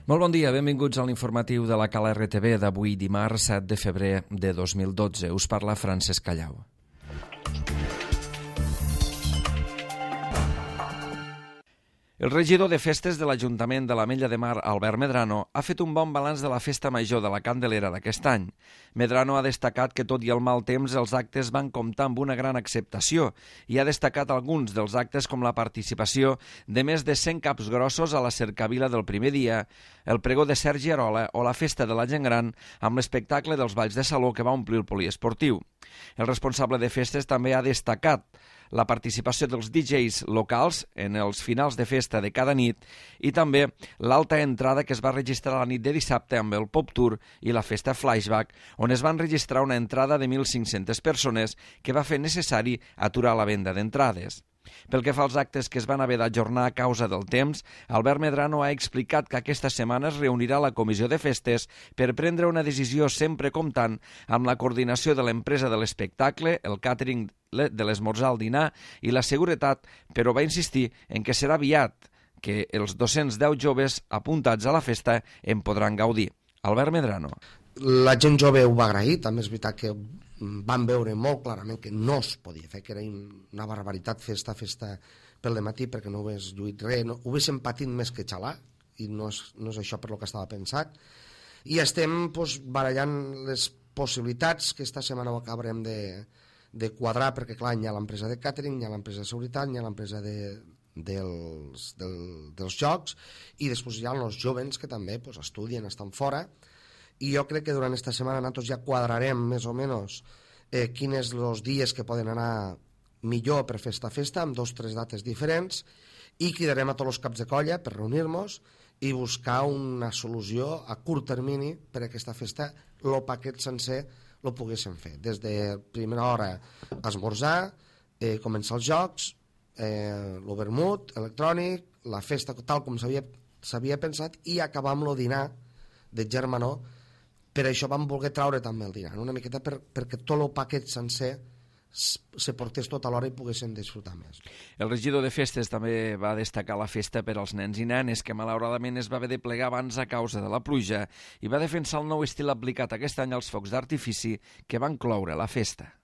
Molt bon dia, benvinguts a l'informatiu de la Cala RTV d'avui dimarts 7 de febrer de 2012. Us parla Francesc Callau. El regidor de festes de l'Ajuntament de l'Ametlla de Mar, Albert Medrano, ha fet un bon balanç de la festa major de la Candelera d'aquest any. Medrano ha destacat que, tot i el mal temps, els actes van comptar amb una gran acceptació i ha destacat alguns dels actes com la participació de més de 100 caps grossos a la cercavila del primer dia, el pregó de Sergi Arola o la festa de la gent gran amb l'espectacle dels balls de saló que va omplir el poliesportiu. El responsable de festes també ha destacat la participació dels DJs locals en els finals de festa de cada nit i també l'alta entrada que es va registrar la nit de dissabte amb el Pop Tour i la festa Flashback, on es van registrar una entrada de 1.500 persones que va fer necessari aturar la venda d'entrades. Pel que fa als actes que es van haver d'ajornar a causa del temps, Albert Medrano ha explicat que aquesta setmana es reunirà la comissió de festes per prendre una decisió sempre comptant amb la coordinació de l'empresa de l'espectacle, el càtering de l'esmorzar al dinar i la seguretat, però va insistir en que serà aviat que els 210 joves apuntats a la festa en podran gaudir. Albert Medrano. La gent jove ho va agrair, també és veritat que van veure molt clarament que no es podia fer, que era una barbaritat festa pel dematí perquè no hagués lluit res, ho haguéssim patit més que xalar i no és això per lo que estava pensat, i estem barallant les possibilitats que esta setmana ho acabarem de quadrar perquè clar, hi ha l'empresa de càtering, hi ha l'empresa de seguretat, hi ha l'empresa dels jocs i després hi ha els jovens que també estudien, estan fora. I jo crec que durant aquesta setmana nosaltres ja quadrarem més o menys quins els dies que poden anar millor per fer esta festa, amb 2 o 3 dates diferents, i cridarem a tots els caps de colla per reunir-nos i buscar una solució a curt termini per a aquesta festa, el paquet sencer el poguéssim fer. Des de primera hora esmorzar, començar els jocs, el vermut electrònic, la festa tal com s'havia pensat i acabar amb el dinar de germanor. Per això vam voler traure també el dinar, una miqueta perquè tot el paquet sencer se portés tot alhora i poguessin disfrutar més. El regidor de festes també va destacar la festa per als nens i nenes, que malauradament es va haver de plegar abans a causa de la pluja, i va defensar el nou estil aplicat aquest any als focs d'artifici que van cloure la festa.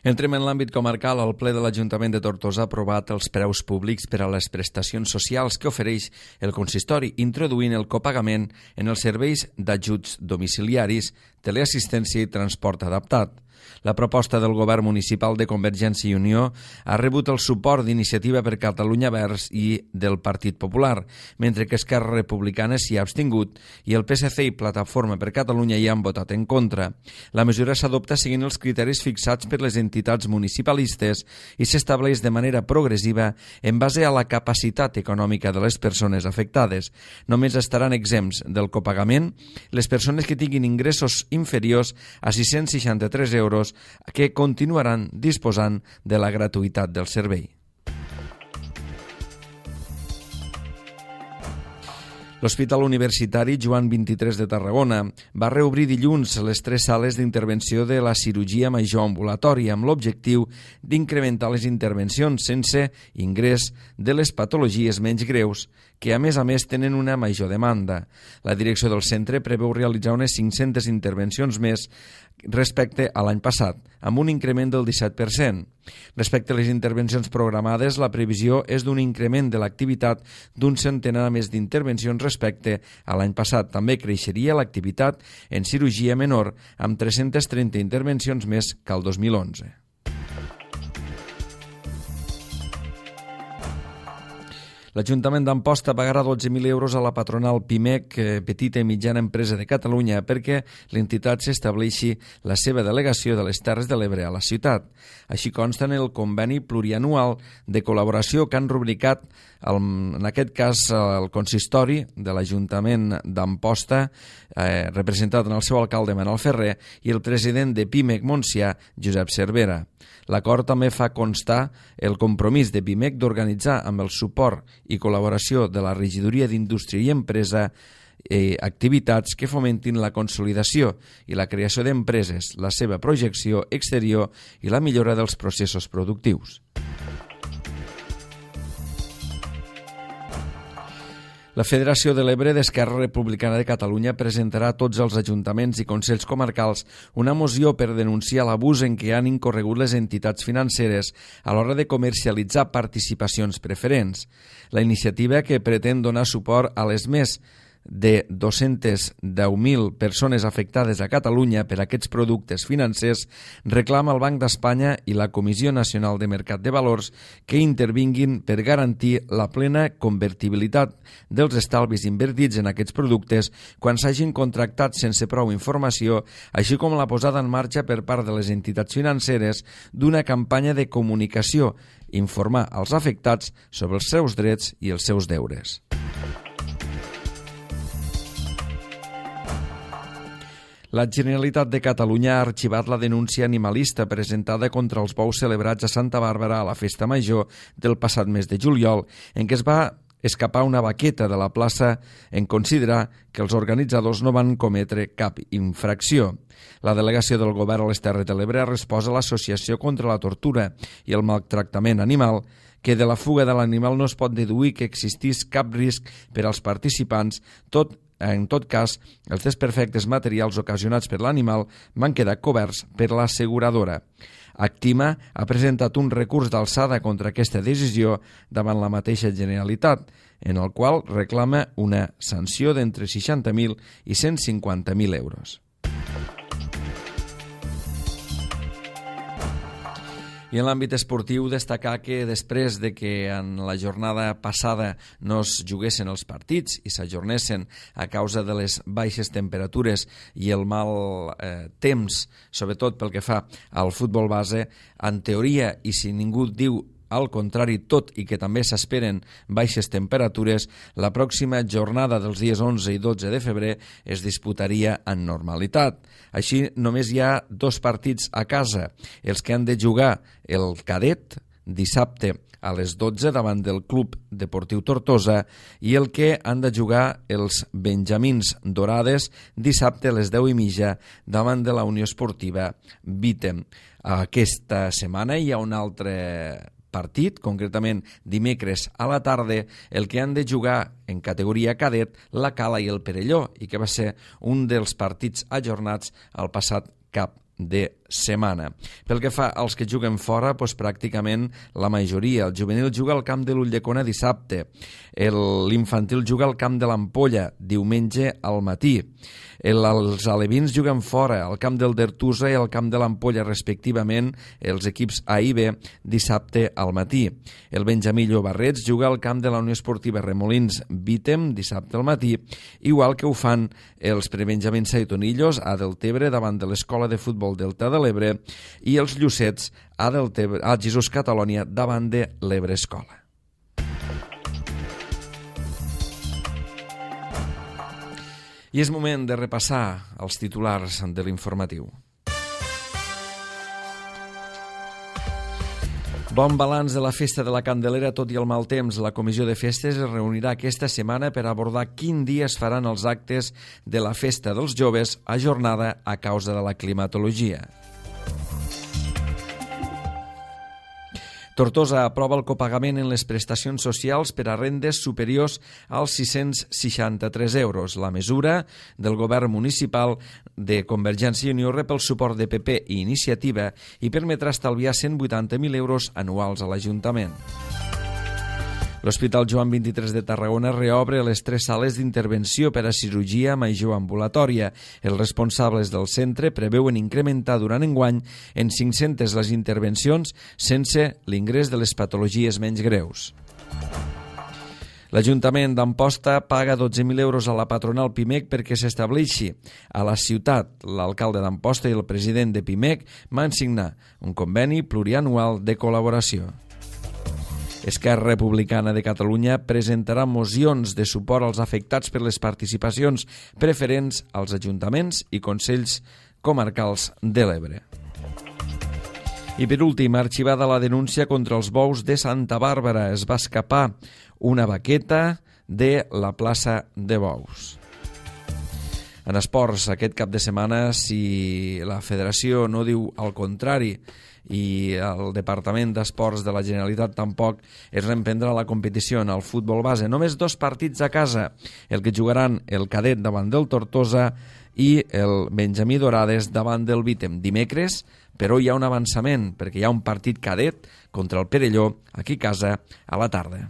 Entrem en l'àmbit comarcal. El ple de l'Ajuntament de Tortosa ha aprovat els preus públics per a les prestacions socials que ofereix el consistori, introduint el copagament en els serveis d'ajuts domiciliaris, teleassistència i transport adaptat. La proposta del govern municipal de Convergència i Unió ha rebut el suport d'Iniciativa per Catalunya Verds i del Partit Popular, mentre que Esquerra Republicana s'hi ha abstingut i el PSC i Plataforma per Catalunya hi han votat en contra. La mesura s'adopta seguint els criteris fixats per les entitats municipalistes i s'estableix de manera progressiva en base a la capacitat econòmica de les persones afectades. Només estaran exempts del copagament les persones que tinguin ingressos inferiors a 663 euros que continuaran disposant de la gratuïtat del servei. L'Hospital Universitari Joan XXIII de Tarragona va reobrir dilluns les 3 sales d'intervenció de la cirurgia major ambulatòria amb l'objectiu d'incrementar les intervencions sense ingrés de les patologies menys greus, que a més tenen una major demanda. La direcció del centre preveu realitzar unes 500 intervencions més respecte a l'any passat, amb un increment del 17%. Respecte a les intervencions programades, la previsió és d'un increment de l'activitat d'un centenar més d'intervencions respecte a l'any passat. També creixeria l'activitat en cirurgia menor, amb 330 intervencions més que el 2011. L'Ajuntament d'Amposta pagarà 12.000 euros a la patronal PIMEC, Petita i Mitjana Empresa de Catalunya, perquè l'entitat s'estableixi la seva delegació de les Terres de l'Ebre a la ciutat. Així consta en el conveni plurianual de col·laboració que han rubricat, en aquest cas, el consistori de l'Ajuntament d'Amposta, representat en el seu alcalde Manel Ferrer, i el president de PIMEC Montsià, Josep Cervera. L'acord també fa constar el compromís de PIMEC d'organitzar amb el suport i col·laboració de la Regidoria d'Indústria i Empresa activitats que fomentin la consolidació i la creació d'empreses, la seva projecció exterior i la millora dels processos productius. La Federació de l'Ebre d'Esquerra Republicana de Catalunya presentarà a tots els ajuntaments i consells comarcals una moció per denunciar l'abús en què han incorregut les entitats financeres a l'hora de comercialitzar participacions preferents. La iniciativa, que pretén donar suport a les més de 210.000 persones afectades a Catalunya per aquests productes financers, reclama al Banc d'Espanya i la Comissió Nacional de Mercat de Valors que intervinguin per garantir la plena convertibilitat dels estalvis invertits en aquests productes quan s'hagin contractat sense prou informació, així com la posada en marxa per part de les entitats financeres d'una campanya de comunicació, informar als afectats sobre els seus drets i els seus deures. La Generalitat de Catalunya ha arxivat la denúncia animalista presentada contra els bous celebrats a Santa Bàrbara a la Festa Major del passat mes de juliol, en què es va escapar una vaqueta de la plaça en considerar que els organitzadors no van cometre cap infracció. La delegació del Govern a les Terres de l'Ebre ha respost a l'Associació contra la Tortura i el Maltractament Animal que de la fuga de l'animal no es pot deduir que existís cap risc per als participants, en tot cas, els desperfectes materials ocasionats per l'animal van quedar coberts per l'asseguradora. Actima ha presentat un recurs d'alçada contra aquesta decisió davant la mateixa Generalitat, en el qual reclama una sanció d'entre 60.000 i 150.000 euros. I en l'àmbit esportiu, destacar que després de que en la jornada passada no es juguessin els partits i s'ajornessin a causa de les baixes temperatures i el mal temps, sobretot pel que fa al futbol base, en teoria, i si ningú diu al contrari, tot i que també s'esperen baixes temperatures, la pròxima jornada dels dies 11 i 12 de febrer es disputaria en normalitat. Així, només hi ha 2 partits a casa, els que han de jugar el cadet dissabte a les 12 davant del Club Deportiu Tortosa i el que han de jugar els benjamins dorades dissabte a les 10:30 davant de la Unió Esportiva Vítem. Aquesta setmana hi ha un altre partit, concretament dimecres a la tarda, el que han de jugar en categoria cadet la Cala i el Perelló, i que va ser un dels partits ajornats al passat cap de setmana. Pel que fa als que juguen fora, doncs pràcticament la majoria. El juvenil juga al camp de l'Ulldecona dissabte, l'infantil juga al camp de l'Ampolla diumenge al matí, els alevins juguen fora al camp del Dertusa i al camp de l'Ampolla respectivament, els equips A i B dissabte al matí. El Benjamí Llobarrets juga al camp de la Unió Esportiva Remolins Vítem dissabte al matí, igual que ho fan els prebenjamins Saitonillos a Deltebre davant de l'Escola de Futbol Delta de l'Ebre i els Llucets a Jesús Catalònia davant de l'Ebre Escola. I és moment de repassar els titulars de l'informatiu. Bon balanç de la Festa de la Candelera, tot i el mal temps. La Comissió de Festes es reunirà aquesta setmana per abordar quin dia es faran els actes de la Festa dels Joves ajornada a causa de la climatologia. Tortosa aprova el copagament en les prestacions socials per a rendes superiors als 663 euros. La mesura del govern municipal de Convergència i Unió rep el suport de PP i Iniciativa i permetrà estalviar 180.000 euros anuals a l'Ajuntament. L'Hospital Joan XXIII de Tarragona reobre les 3 sales d'intervenció per a cirurgia major ambulatòria. Els responsables del centre preveuen incrementar durant enguany en 500 les intervencions sense l'ingrés de les patologies menys greus. L'Ajuntament d'Amposta paga 12.000 euros a la patronal PIMEC perquè s'estableixi a la ciutat. L'alcalde d'Amposta i el president de PIMEC van signar un conveni plurianual de col·laboració. Esquerra Republicana de Catalunya presentarà mocions de suport als afectats per les participacions preferents als ajuntaments i consells comarcals de l'Ebre. I per últim, arxivada la denúncia contra els bous de Santa Bàrbara. Es va escapar una vaqueta de la plaça de bous. En esports, aquest cap de setmana, si la federació no diu el contrari i el Departament d'Esports de la Generalitat tampoc, es reemprendrà la competició en el futbol base. Només 2 partits a casa, el que jugaran el cadet davant del Tortosa i el Benjamí Dorades davant del Vítem. Dimecres, però hi ha un avançament, perquè hi ha un partit cadet contra el Perelló, aquí a casa, a la tarda.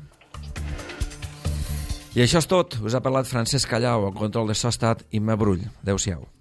I això és tot. Us ha parlat Francesc Callau, en control de so ha estat Imma Brull. Adéu-siau.